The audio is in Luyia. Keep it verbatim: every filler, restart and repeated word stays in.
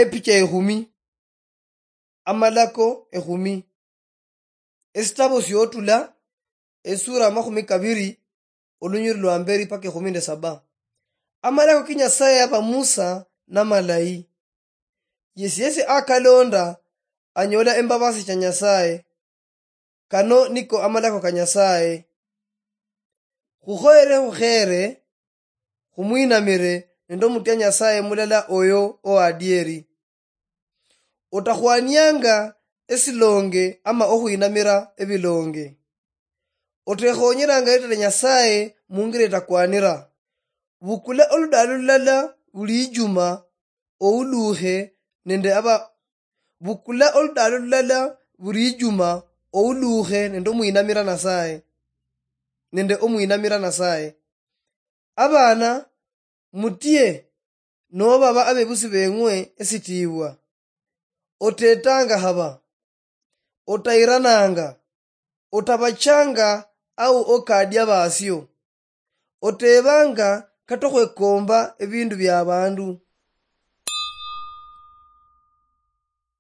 Epicha ekhumi. Amalako ekhumi. Esitabo siotula, esura amakhumi kabiri, olunyiri lwa mberi paka ekhumi nde saba. Amalako ki Nyasaye yaba Musa namalayi. Yesi yesi akalonda, anyola embabasi cha Nyasaye. Kano niko amalako ka Nyasaye. Khukhoyere khukhere, khumwinamire nende omutya Nyasaye mulala oyo owadieri. Otakhwanianga esilonge ama okhwinamira ebilonge. Otekhonyeranga eritala Nyasaye mungira etakwanira. Bukula oludalo lulala buli ijuma, oulukhe nende aba-, bukula oludalo lulala buli ijuma, oulukhe nende omwinamira Nasaye, nende omwinamira Nasaye. Abana, mutie nobaba abebusi beng'we esitiibwa. Otetanga haba, otayirananga, otabachanga au okadia basio. Otebanga kata okhwekomba ebindu bia abandu.